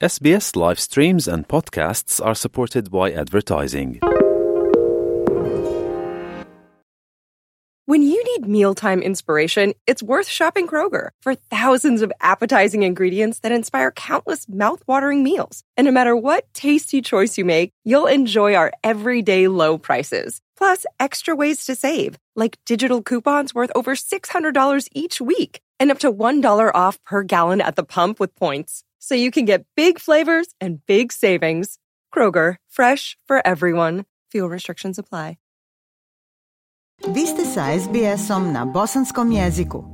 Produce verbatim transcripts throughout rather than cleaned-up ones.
S B S live streams and podcasts are supported by advertising. When you need mealtime inspiration, it's worth shopping Kroger for thousands of appetizing ingredients that inspire countless mouth-watering meals. And no matter what tasty choice you make, you'll enjoy our everyday low prices. Plus, extra ways to save, like digital coupons worth over six hundred dollars each week and up to one dollar off per gallon at the pump with points. So you can get big flavors and big savings. Kroger, fresh for everyone. Fuel restrictions apply. Vi ste sa S B S-om na bosanskom jeziku.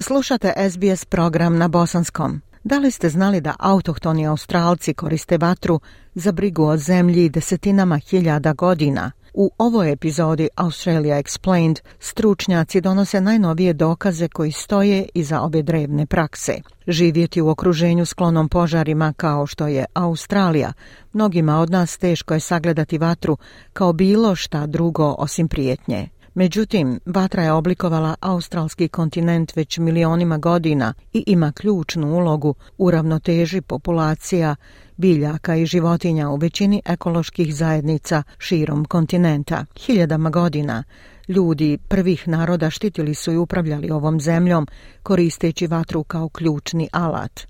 Slušate S B S program na bosanskom. Da li ste znali da autohtoni Australci koriste vatru za brigu o zemlji desetinama hiljada godina? U ovoj epizodi Australia Explained stručnjaci donose najnovije dokaze koji stoje iza ove drevne prakse. Živjeti u okruženju sklonom požarima kao što je Australija, mnogima od nas teško je sagledati vatru kao bilo šta drugo osim prijetnje. Međutim, vatra je oblikovala australski kontinent već milionima godina i ima ključnu ulogu u ravnoteži populacija biljaka i životinja u većini ekoloških zajednica širom kontinenta. Hiljadama godina ljudi prvih naroda štitili su i upravljali ovom zemljom koristeći vatru kao ključni alat.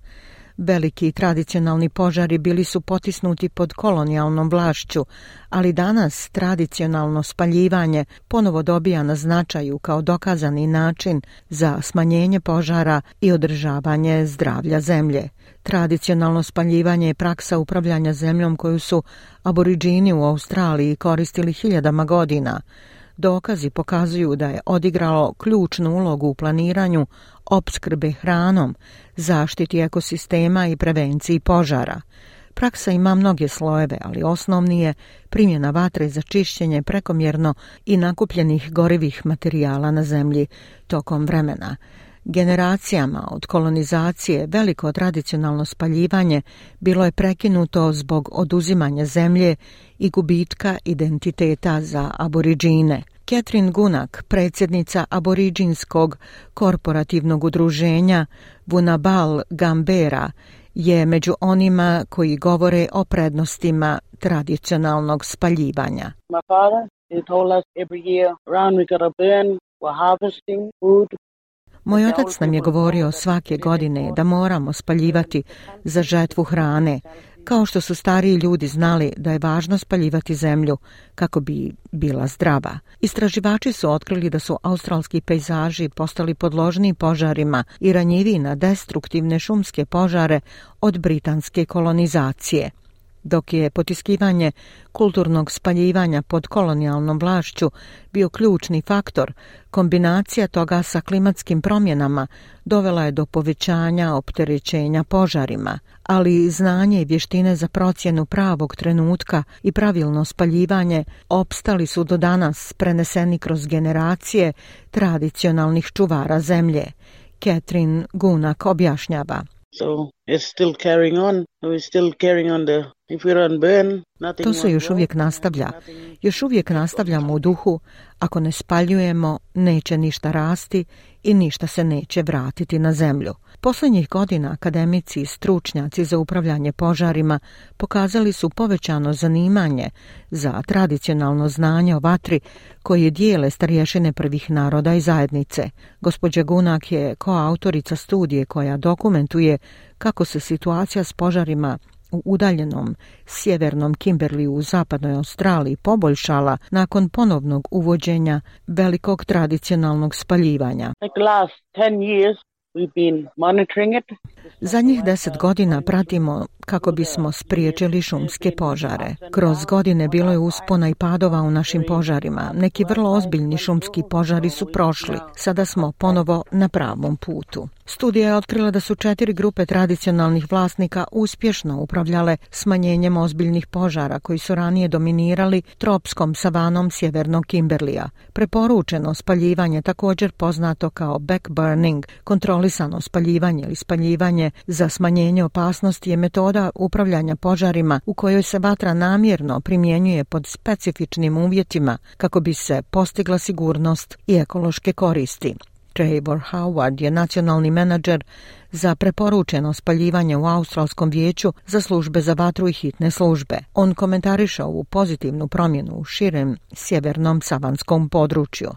Veliki tradicionalni požari bili su potisnuti pod kolonijalnom vlašću, ali danas tradicionalno spaljivanje ponovo dobija na značaju kao dokazani način za smanjenje požara i održavanje zdravlja zemlje. Tradicionalno spaljivanje je praksa upravljanja zemljom koju su aboriđini u Australiji koristili hiljadama godina. Dokazi pokazuju da je odigralo ključnu ulogu u planiranju opskrbe hranom, zaštiti ekosistema i prevenciji požara. Praksa ima mnoge slojeve, ali osnovni je primjena vatre za čišćenje prekomjerno i nakupljenih gorivih materijala na zemlji tokom vremena. Generacijama od kolonizacije veliko tradicionalno spaljivanje bilo je prekinuto zbog oduzimanja zemlje i gubitka identiteta za aboriđine. Catherine Gunak, predsjednica aboriđinskog korporativnog udruženja Vunabal Gambera, je među onima koji govore o prednostima tradicionalnog spaljivanja. My father, he told us every year around we gotta burn, we're harvesting food. Moj otac nam je govorio svake godine da moramo spaljivati za žetvu hrane, kao što su stariji ljudi znali da je važno spaljivati zemlju kako bi bila zdrava. Istraživači su otkrili da su australski pejzaži postali podložni požarima i ranjiviji na destruktivne šumske požare od britanske kolonizacije. Dok je potiskivanje kulturnog spaljivanja pod kolonijalnom vlašću bio ključni faktor, kombinacija toga sa klimatskim promjenama dovela je do povećanja opterećenja požarima, ali znanje i vještine za procjenu pravog trenutka i pravilno spaljivanje opstali su do danas preneseni kroz generacije tradicionalnih čuvara zemlje. Catherine Gunak objašnjava. So it's still carrying on. We're still carrying on the if we don't burn, nothing. To se još uvijek nastavlja. Još uvijek nastavljamo u duhu. Ako ne spaljujemo, neće ništa rasti i ništa se neće vratiti na zemlju. Posljednjih godina akademici i stručnjaci za upravljanje požarima pokazali su povećano zanimanje za tradicionalno znanje o vatri koje dijele starješine prvih naroda i zajednice. Gospođa Gunak je koautorica studije koja dokumentuje kako se situacija s požarima u udaljenom sjevernom Kimberleyu u zapadnoj Australiji poboljšala nakon ponovnog uvođenja velikog tradicionalnog spaljivanja. Like last ten years we've been monitoring it. Zadnjih deset godina pratimo kako bismo spriječili šumske požare. Kroz godine bilo je uspona i padova u našim požarima. Neki vrlo ozbiljni šumski požari su prošli. Sada smo ponovo na pravom putu. Studija je otkrila da su četiri grupe tradicionalnih vlasnika uspješno upravljale smanjenjem ozbiljnih požara koji su ranije dominirali tropskom savanom sjevernog Kimberleya. Preporučeno spaljivanje, također poznato kao backburning, kontrolisano spaljivanje ili spaljivanje za smanjenje opasnosti, je metoda upravljanja požarima u kojoj se vatra namjerno primjenjuje pod specifičnim uvjetima kako bi se postigla sigurnost i ekološke koristi. Trevor Howard je nacionalni menadžer za preporučeno spaljivanje u Australskom vijeću za službe za vatru i hitne službe. On komentariše ovu pozitivnu promjenu u širem sjevernom savanskom području.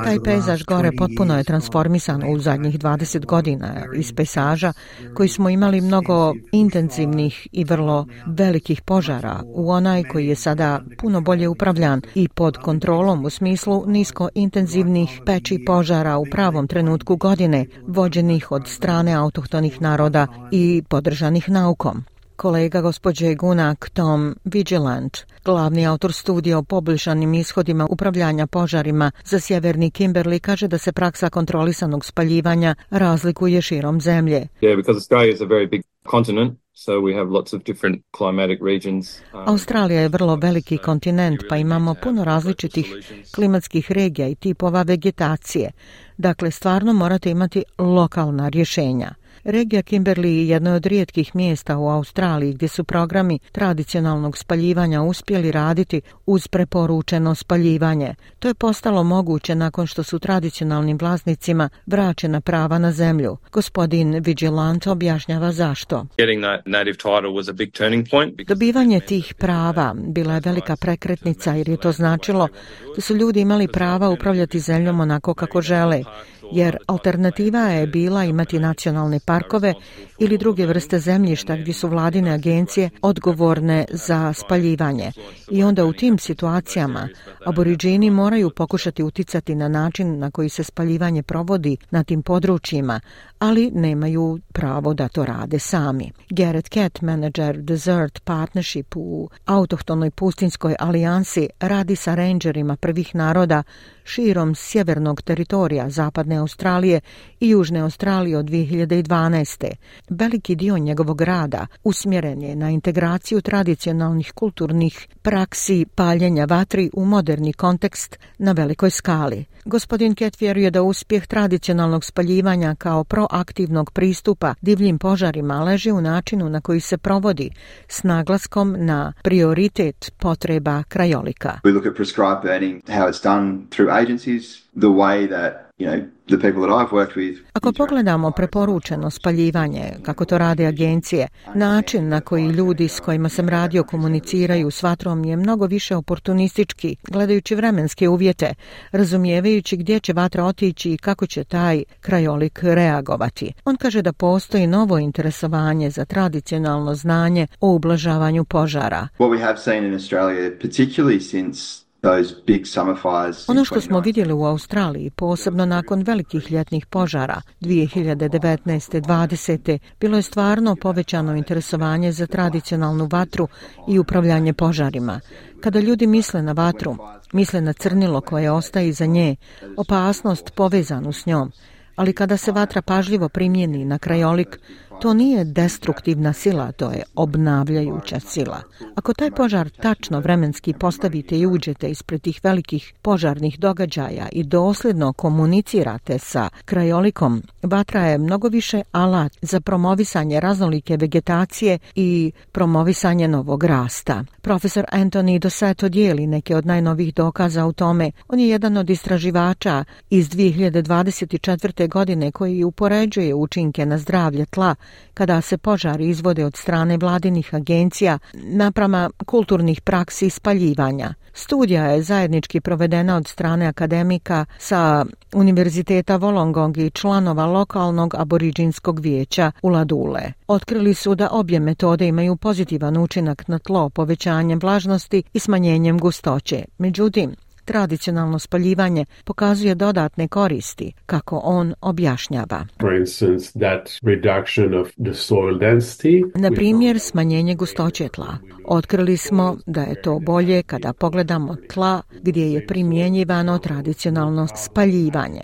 Taj pejzaž gore potpuno je transformisan u zadnjih dvadeset godina iz pejzaža koji smo imali mnogo intenzivnih i vrlo velikih požara u onaj koji je sada puno bolje upravljan i pod kontrolom u smislu nisko intenzivnih peći požara u pravom trenutku godine, vođenih od strane autohtonih naroda i podržanih naukom. Kolega gospođe Gunak, Tom Vigilant, glavni autor studija o poboljšanim ishodima upravljanja požarima za sjeverni Kimberley, kaže da se praksa kontrolisanog spaljivanja razlikuje širom zemlje. Yeah, because Australia is a very big continent. So we have lots of different climatic regions. Australija je vrlo veliki kontinent, pa imamo puno različitih klimatskih regija i tipova vegetacije. Dakle, stvarno morate imati lokalna rješenja. Regija Kimberley je jedno od rijetkih mjesta u Australiji gdje su programi tradicionalnog spaljivanja uspjeli raditi uz preporučeno spaljivanje. To je postalo moguće nakon što su tradicionalnim vlasnicima vraćena prava na zemlju. Gospodin Vigilant objašnjava zašto. Dobivanje tih prava bila je velika prekretnica jer je to značilo da su ljudi imali prava upravljati zemljom onako kako žele, jer alternativa je bila imati nacionalne parkove ili druge vrste zemljišta gdje su vladine agencije odgovorne za spaljivanje. I onda u tim situacijama aboriđini moraju pokušati uticati na način na koji se spaljivanje provodi na tim područjima, ali nemaju pravo da to rade sami. Garrett Cat, menadžer Desert Partnership u autohtonoj pustinskoj alijansi, radi sa rangerima prvih naroda širom sjevernog teritorija Zapadne Australije i Južne Australije od dvije hiljade dvanaeste. Veliki dio njegovog rada usmjeren je na integraciju tradicionalnih kulturnih praksi paljenja vatri u moderni kontekst na velikoj skali. Gospodin Cat vjeruje da uspjeh tradicionalnog spaljivanja kao proaktivnog pristupa divljim požarima leži u načinu na koji se provodi s naglaskom na prioritet potreba krajolika. We look at prescribed burning, how it's done through agencies, the way that, you know, the people that I've worked with. Ako pogledamo preporučeno spaljivanje, kako to rade agencije, način na koji ljudi s kojima sam radio komuniciraju s vatrom je mnogo više oportunistički, gledajući vremenske uvjete, razumijevajući gdje će vatra otići i kako će taj krajolik reagovati. On kaže da postoji novo interesovanje za tradicionalno znanje o ublažavanju požara. What we have seen in Australia, particularly since ono što smo vidjeli u Australiji, posebno nakon velikih ljetnih požara dvije hiljade devetnaeste dvadesete, bilo je stvarno povećano interesovanje za tradicionalnu vatru i upravljanje požarima. Kada ljudi misle na vatru, misle na crnilo koje ostaje iza nje, opasnost povezanu s njom. Ali kada se vatra pažljivo primjeni na krajolik, to nije destruktivna sila, to je obnavljajuća sila. Ako taj požar tačno vremenski postavite i uđete ispred tih velikih požarnih događaja i dosljedno komunicirate sa krajolikom, vatra je mnogo više alat za promovisanje raznolike vegetacije i promovisanje novog rasta. Profesor Anthony Dossetto dijeli neke od najnovih dokaza u tome. On je jedan od istraživača iz dvije hiljade dvadeset četvrte godine koji upoređuje učinke na zdravlje tla kada se požari izvode od strane vladinih agencija naprama kulturnih praksi spaljivanja. Studija je zajednički provedena od strane akademika sa Univerziteta Wollongong i članova lokalnog aboriđinskog vijeća Uladule. Otkrili su da obje metode imaju pozitivan učinak na tlo povećanjem vlažnosti i smanjenjem gustoće. Međutim, tradicionalno spaljivanje pokazuje dodatne koristi, kako on objašnjava. Na primjer, smanjenje gustoće tla. Otkrili smo da je to bolje kada pogledamo tla gdje je primjenjivano tradicionalno spaljivanje.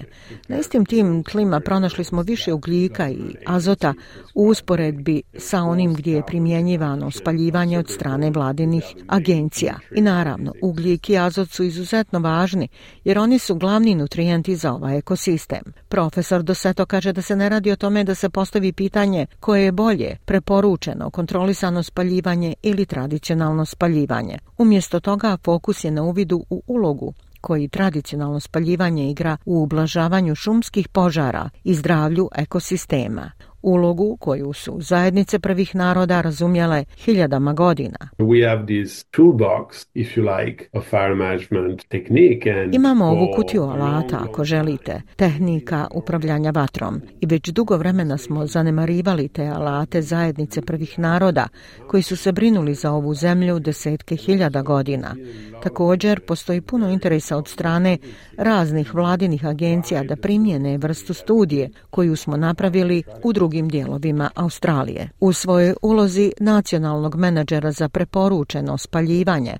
Na istim tim tlima pronašli smo više ugljika i azota u usporedbi sa onim gdje je primjenjivano spaljivanje od strane vladinih agencija. I naravno, ugljik i azot su izuzetno važni jer oni su glavni nutrijenti za ovaj ekosistem. Profesor Dossetto kaže da se ne radi o tome da se postavi pitanje koje je bolje, preporučeno, kontrolisano spaljivanje ili tradicionalno spaljivanje. Umjesto toga fokus je na uvidu u ulogu koji tradicionalno spaljivanje igra u ublažavanju šumskih požara i zdravlju ekosistema. Ulogu koju su zajednice prvih naroda razumjele hiljadama godina. We have this toolbox, if you like, of fire management technique and Imamo ovu kutiju alata, ako želite, tehnika upravljanja vatrom. I već dugo vremena smo zanemarivali te alate zajednice prvih naroda koji su se brinuli za ovu zemlju desetke hiljada godina. Također, postoji puno interesa od strane raznih vladinih agencija da primjene vrstu studije koju smo napravili u drugim dijelovima Australije. U svojoj ulozi nacionalnog menadžera za preporučeno spaljivanje,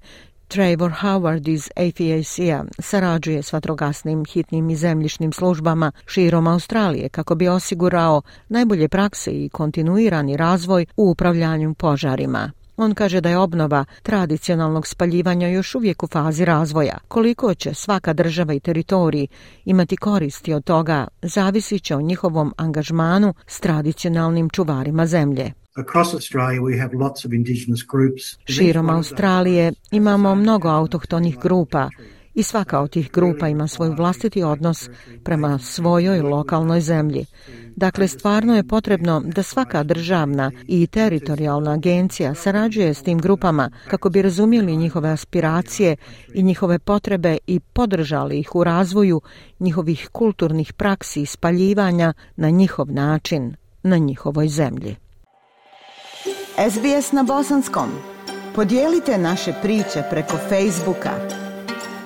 Trevor Howard iz A F A C-a sarađuje s vatrogasnim, hitnim i zemljišnim službama širom Australije kako bi osigurao najbolje prakse i kontinuirani razvoj u upravljanju požarima. On kaže da je obnova tradicionalnog spaljivanja još uvijek u fazi razvoja. Koliko će svaka država i teritorij imati koristi od toga, zavisit će o njihovom angažmanu s tradicionalnim čuvarima zemlje. Širom Australije imamo mnogo autohtonih grupa i svaka od tih grupa ima svoj vlastiti odnos prema svojoj lokalnoj zemlji. Dakle, stvarno je potrebno da svaka državna i teritorijalna agencija sarađuje s tim grupama kako bi razumjeli njihove aspiracije i njihove potrebe i podržali ih u razvoju njihovih kulturnih praksi i spaljivanja na njihov način, na njihovoj zemlji. S B S na bosanskom. Podijelite naše priče preko Facebooka.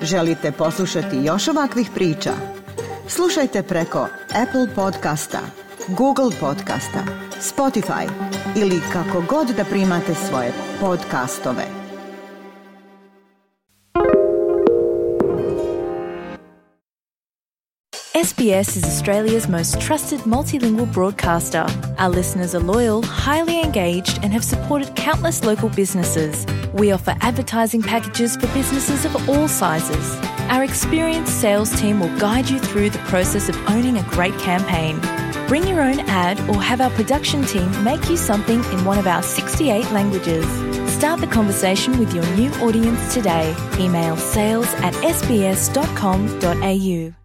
Želite poslušati još ovakvih priča? Slušajte preko Apple podcasta, Google podcasta, Spotify ili kako god da primate svoje podcastove. S B S is Australia's most trusted multilingual broadcaster. Our listeners are loyal, highly engaged, and have supported countless local businesses. We offer advertising packages for businesses of all sizes. Our experienced sales team will guide you through the process of owning a great campaign. Bring your own ad or have our production team make you something in one of our sixty-eight languages. Start the conversation with your new audience today. Email sales at s b s dot com dot a u.